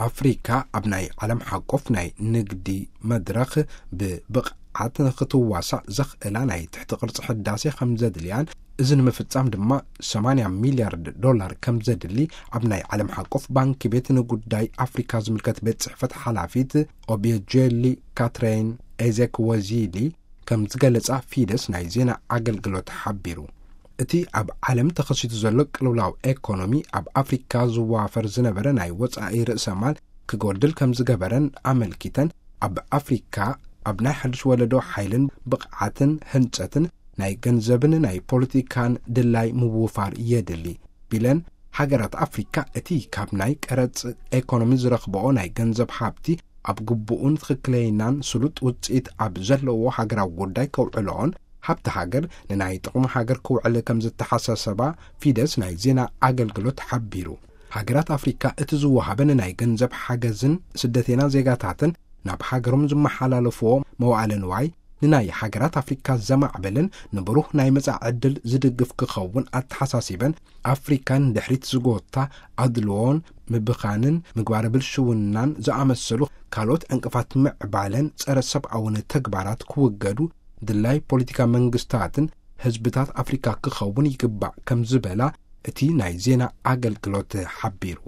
ኣፍሪካ ኣብ ናይ ዓለም ሓቆፍ ናይ ንግዲ መድረኽ ብብቕዓት ንክትዋሳእ ዘኽእላ ናይ ትሕቲ ቅርጺ ሕዳሴ ከም ዘድልያን፣ እዚ ንምፍጻም ድማ ሰማንያ ሚልያርድ ዶላር ከም ዘድሊ ኣብ ናይ ዓለም ሓቆፍ ባንኪ ቤት ንጉዳይ ኣፍሪካ ዝምልከት ቤት ጽሕፈት ሓላፊት ኦቢየጀሊ ካትሬን ኤዜክ ወዚሊ ከም ዝገለጻ ፊደስ ናይ ዜና ኣገልግሎት ሓቢሩ። እቲ ኣብ ዓለም ተኸሲቱ ዘሎ ቅልውላው ኤኮኖሚ ኣብ ኣፍሪካ ዝዋፈር ዝነበረ ናይ ወጻኢ ርእሰ ማል ክጎድል ከም ዝገበረን ኣመልኪተን፣ ኣብ ኣፍሪካ ኣብ ናይ ሓድሽ ወለዶ ሓይልን ብቕዓትን ህንጸትን ናይ ገንዘብን ናይ ፖለቲካን ድላይ ምውፋር የድሊ ቢለን፣ ሃገራት ኣፍሪካ እቲ ካብ ናይ ቀረጽ ኤኮኖሚ ዝረኽብኦ ናይ ገንዘብ ሃብቲ ኣብ ግቡኡን ትኽክለይናን ስሉጥ ውጽኢት ኣብ ዘለዎ ሃገራዊ ጉዳይ ከውዕልኦን፣ ሃብቲ ሃገር ንናይ ጥቕሚ ሃገር ክውዕል ከም ዝተሓሳሰባ ፊደስ ናይ ዜና ኣገልግሎት ሓቢሩ። ሃገራት ኣፍሪካ እቲ ዝወሃበን ናይ ገንዘብ ሓገዝን ስደተና ዜጋታትን ናብ ሃገሮም ዝመሓላለፍዎ መዋዕለ ንዋይ ንናይ ሃገራት ኣፍሪካ ዘማዕበልን ንብሩህ ናይ መጻኢ ዕድል ዝድግፍ ክኸውን ኣተሓሳሲበን፣ ኣፍሪካ ንድሕሪት ዝጎታ ኣድልዎን ምብኻንን ምግባረ ብልሽውናን ዝኣመሰሉ ካልኦት ዕንቅፋት ምዕባለን ጸረ ሰብኣውን ተግባራት ክውገዱ ድላይ ፖለቲካ መንግስታትን ህዝብታት ኣፍሪካ ክኸውን ይግባእ ከም ዝበላ እቲ ናይ ዜና ኣገልግሎት ሓቢሩ።